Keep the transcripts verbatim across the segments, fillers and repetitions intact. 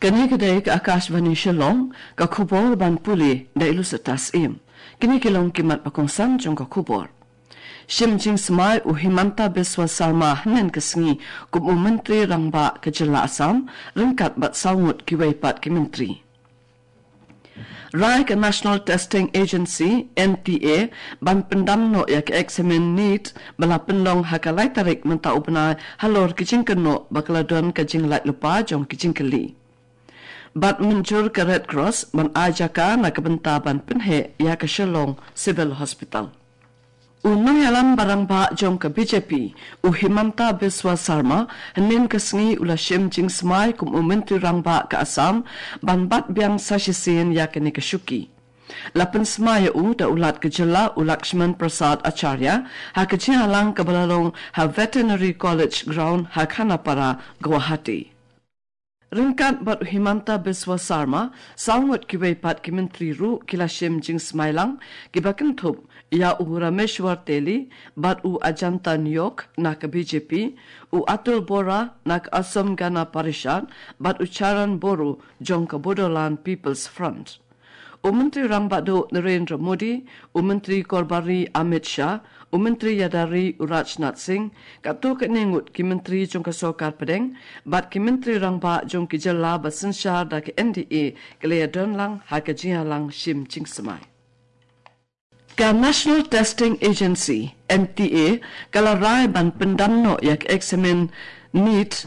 Kane ka dei ka Akashvani Shillong, ka khubor ban pule da i Lusitas Im. Kine ki long ki mat ba kongsan jong ka khubor. Shim jingsmai u Himanta Biswa Sarma hynnin ka sngi kum u Myntri Rangbah ka jylla Assam, ryngkat bad saw ngut kiwei pat ki myntri. Rai ka National Testing Agency, N T A, ban pyndam noh ïa ka eksamin NEET ba la pynlong ha ka lai tarik mynta u bnai halor ki jingkynnoh ba ka la don ka jinglait lypa jong ki jingkylli. Bad mynjur ka Red Cross ban ai jaka na ka bynta ban pynheh ïa ka Shillong Civil Hospital. U nongïalam ba rangbah jong ka B J P, u Himanta Biswa Sarma, hynnin ka sngi u la shim jingsmai kum u Myntri Rangbah ka Assam, ban bat biang sa shisien ïa kane ka shuki. La pynsmai ïa u da u Lat ka jylla u Lakshman Prasad Acharya, ha ka jingïalang kaba la long ha Veterinary College Ground ha Khanapara, Guwahati. Ryngkat bad u Himanta Biswa Sarma, saw ngut kiwei pat ki myntri ruh ki la shim jingsmai lang, kiba kynthup ïa u Rameshwar Teli, bad u Ajanta Neog na ka B J P, u Atul Bora na ka Assam Gana Parishad, bad u Charan Boro jong ka Bodoland People's Front. U Myntri Rangbah Duh Narendra Modi, u Myntri Korbari Amit Shah, u Myntri Ïada Ri u Rajnath Singh, katto katne ngut ki myntri jong ka sorkar pdeng, bad ki myntri rangbah jong ki jylla ba synshar da ka N D A, ki la ïadon lang ha ka jingïalang shim jingsmai. Ka National Testing Agency, N T A, ka la rai ban pyndam noh ïa ka eksamin NEET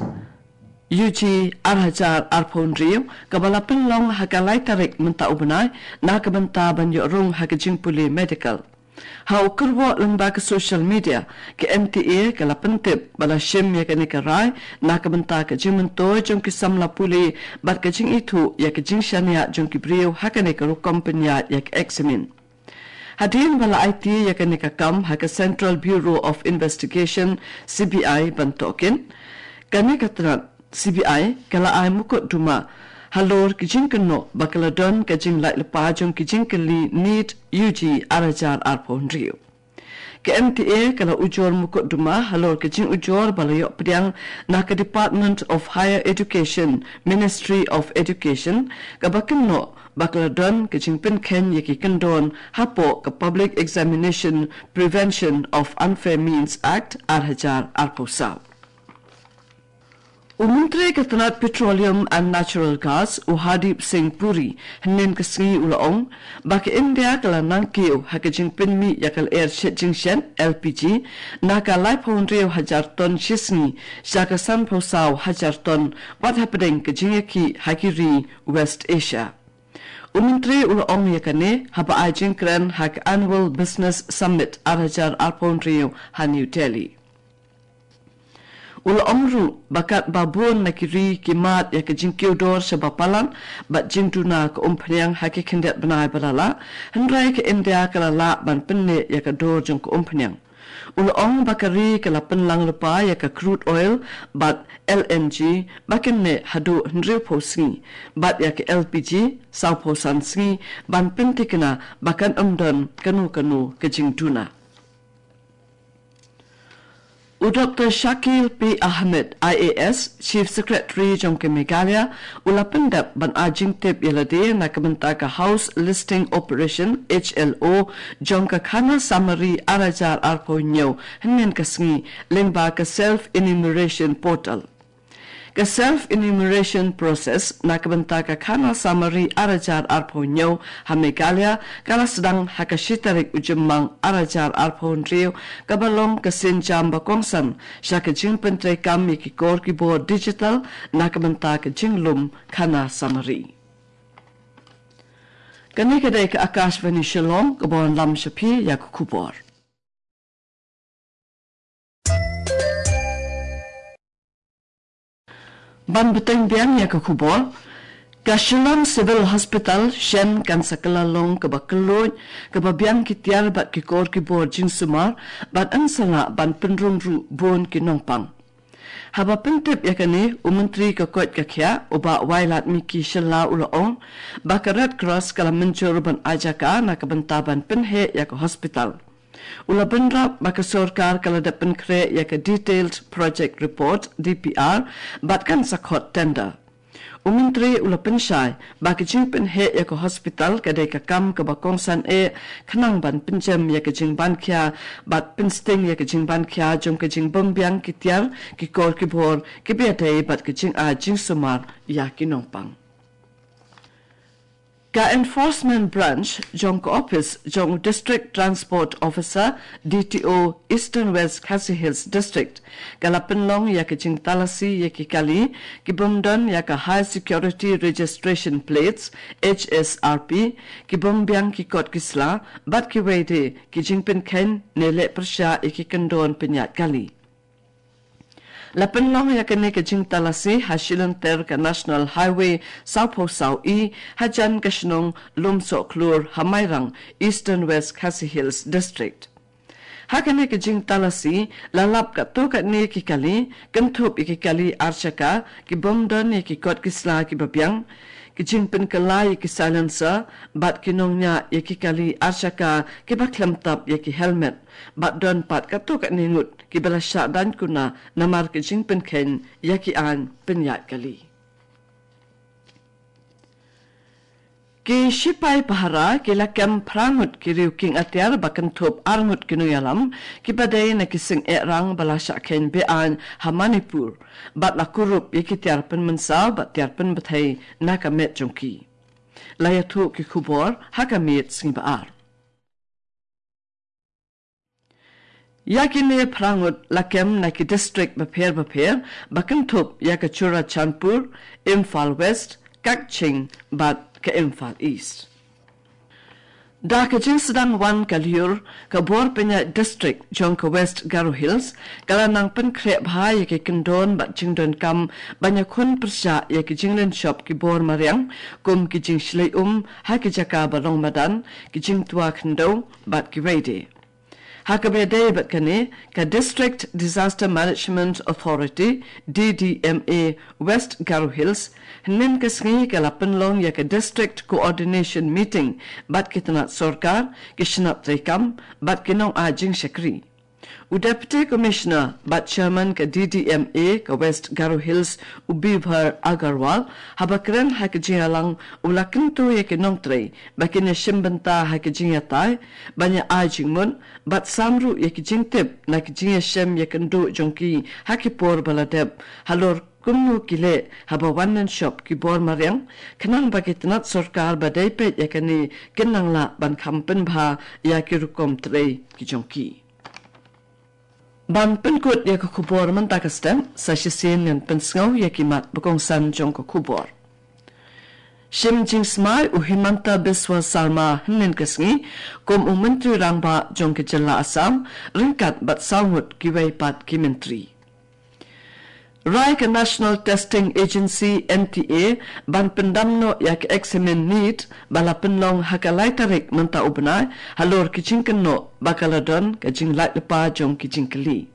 U G ar hajar arphew hynriew, kaba la pynlong ha ka lai tarik mynta u bnai, na ka bynta ban ïoh rung ha ka jingpule medical. Ha u kyrwoh lyngba ka social media, ka N T A ka la pyntip ba la shim ïa kane ka rai, na ka bynta ka jingmyntoi jong ki samla pule, bad ka jingithuh ïa ka jingshaniah jong ki briew ha kane ka rukom pynïaid ïa ka eksamin. Hadien ba la aiti ïa kane ka kam ha ka Central Bureau of Investigation, C B I, ban tohkit, kane ka tnat C B I ka la ai mukotduma halor ki jingkynnoh ba ka la don ka jinglait lypa jong ki jingkylli NEET U G ar hajar arphew hynriew. Ka N T A ka la ujor mukotduma halor ka jingujor ba la ïoh pdiang na ka Department of Higher Education, Ministry of Education, kaba kynnoh ba ka la don ka jingpynkheiñ ïa ki kyndon hapoh ka Public Examination Prevention of Unfair Means Act ar hajar arphew saw. U Myntri ka tnat Petroleum and Natural Gas, u Hardeep Singh Puri, hynnin ka sngi u la ong ba ka India ka la nangkiew ha ka jingpynmih ïa ka lyer shet jingshet, L P G, na ka laiphew hynriew hajar ton shi sngi sha ka sanphew saw hajar ton, wat hapdeng ka jingïakhih ha ki ri West Asia. U Myntri u la ong ïa kane haba ai jingkren ha ka Annual Business Summit ar hajar arphew hynriew ha New Delhi. U la ong ruh ba katba bun na ki ri ki mad ïa ka jingkiew dor shaba palat bad jingduna ka umphniang ha ki khyndiat bnai ba la lah, hynrei ka India ka la lah ban pynneh ïa ka dor jong ka umphniang. U la ong ba ka ri ka la pynlang lypa ïa ka crude oil bad L N G ba kin neh haduh hynriewphew sngi, bad ïa ka L P G sawphew san sngi, ban pynthikna ba kan ym don kano kano ka jingduna. U Doktor Shakil P Ahmed, I A S, Chief Secretary jong ka Meghalaya, u la pyndep ban ai jingtip ïa lade na ka bynta ka House Listing Operation, H L O, jong ka Khana Samari ar hajar arphew hynñiew, hynnin ka sngi, lyngba ka Self Enumeration Portal. Ka self enumeration process na ka bynta ka Khana Samari ar hajar arphew hynñiew ha Meghalaya ka la sdang ha ka shi tarik u Jymmang ar hajar arphew hynriew, kaba long ka sienjam ba kongsan sha ka jingpyntreikam ïa ki kor ki bor digital na ka bynta ka jinglum Khana Samari. Kane ka dei ka Akashvani Shillong, kaba wanlam sha phi ïa ka khubor. Ban bteng biang ïa ka khubor, ka Shillong Civil Hospital shen kan sa kylla long kaba kylluid, kaba biang ki tiar bad ki kor ki bor jingsumar, bad yn sa lah ban pynrung ruh bun ki nongpang. Haba pyntip ïa kane, u Myntri ka koit ka khiah, u Bah Wailadmiki Shylla, u la ong ba ka Red Cross ka la mynjur ban ai jaka na ka bynta ban pynheh ïa ka hospital. U la bynrap ba ka sorkar ka la dep pynkhreh ïa ka Detailed Project Report, D P R, bad kan sa khot tender. U Myntri u la pynshai ba ka jingpynheh ïa ka hospital ka dei ka kam kaba kongsan eh, khnang ban pynjem ïa ka jingbankhia bad pynsting ïa ka jingbankhia jong ka jingbymbiang ki tiar, ki kor ki bor kiba ïadei bad ka jingai jingsumar ïa ki nongpang. Ka Enforcement Branch jong ka Office jong u District Transport Officer, D T O, Eastern West Khasi Hills District, ka la pynlong ïa ka jingtalasi ïa ki kali kibym don ïa ka High Security Registration Plates, H S R P, kibym biang ki kot ki sla bad kiwei de ki jingpynkheiñ ne leh pyrshah ïa ki kyndon pynïaid kali. La pynlong ïa kane ka jingtalasi ha shilynter ka National Highway sawphew saw E, hajan ka shnong Lumsohkhlur ha Mairang, Eastern West Khasi Hills District. Ha kane ka jingtalasi la lap katto katne ki kali, kynthup ïa ki kali ar shaka kibym don ïa ki kot ki sla kiba biang, ki jingpynkylla ïa ki silencer bad ki nongñiah ïa ki kali ar shaka kiba khlem tap ïa ki helmet, bad don pat katto katne ngut kiba la shah daiñ kuna namar ka jingpynkheiñ ïa ki aiñ pynïaid kali. Ki shipai pahara ki la kem phra ngut ki riew kieng atiar ba kynthup ar ngut ki nongïalam kiba dei na ki seng eh rang ba la shah kheiñ be-aiñ ha Manipur, bad la kurup ïa ki tiar pynmynsaw bad tiar pynbthei na ka met jong ki. La ïathuh ki khubor ha ka miet sngi ba ar. Ïa kine phra ngut la kem na ki district bapher bapher ba kynthup ïa ka Churachandpur, Imphal West, Kakching bad ka Imphal East. Da ka jingsdang wan ka lyiur, ka bor pynïaid district jong ka West Garo Hills ka la nang pynkhreh bha ïa ki kyndon bad jingdonkam ban ïakhun pyrshah ïa ki jinglynshop ki bor mariang, kum ki jingshlei um ha ki jaka ba long madan, ki jingtwa khyndew bad kiwei de. Ha kaba ïadei bad kane, ka District Disaster Management Authority, D D M A, West Garo Hills, hynnin ka sngi ka la pynlong ïa ka District Coordination Meeting bad ki tnat sorkar, ki shnat treikam bad ki nongai jingshakri. U Deputy Commissioner bad Chairman ka D D M A ka West Garo Hills, u Bibhar Agarwal, haba kren ha ka jingïalang u la kyntu ïa ki nongtrei ba kin ïashim bynta ha ka jingïatai, ban ïa ai jingmut bad sam ruh ïa ki jingtip na ka jingïashem ïakynduh jong ki ha ki por ba la dep, halor kumno ki leh haba wan lynshop ki bor mariang, khnang ba ki tnat sorkar ba dei peit ïa kane kin nang lah ban kham pynbha ïa ki rukom trei ki jong ki. Ban pynkut ïa ka khubor mynta ka step, sa shisien ngan pynsngew ïa ki mat ba kongsan jong ka khubor. Shim jingsmai u Himanta Biswa Sarma hynnin ka sngi kum u Myntri Rangbah jong ka jylla Assam, ryngkat bad saw ngut kiwei pat ki myntri. Rai ka National Testing Agency, N T A, ban pyndam noh ïa ka eksamin NEET ba la pynlong ha ka lai tarik mynta u bnai, halor ki jingkynnoh ba ka la don ka jinglait lypa jong ki jingkylli.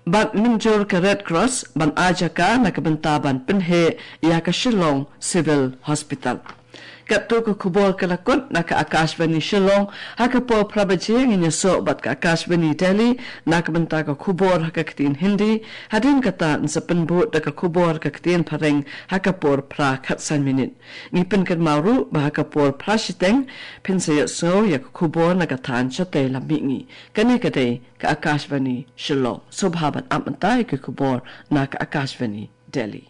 Bad mynjur ka Red Cross ban ai jaka na ka bynta ban pynheh ïa ka Shillong Civil Hospital. Katto ka khubor ka la kut na ka Akashvani Shillong, ha ka por phra baje ngin ïasoh bad ka Akashvani Delhi na ka bynta ka khubor ha ka ktien Hindi, hadien kata yn sa pynbud da ka khubor ka ktien Phareng ha ka por phra khatsan minit. Ngi pynkynmaw ruh ba ha ka por phra shiteng phin sa ïohsngew ïa ka khubor na ka thaiñ shatei lam mihngi. Kane ka dei ka Akashvani Shillong. Sngewbha ban ap mynta ïa ka khubor na ka Akashvani Delhi.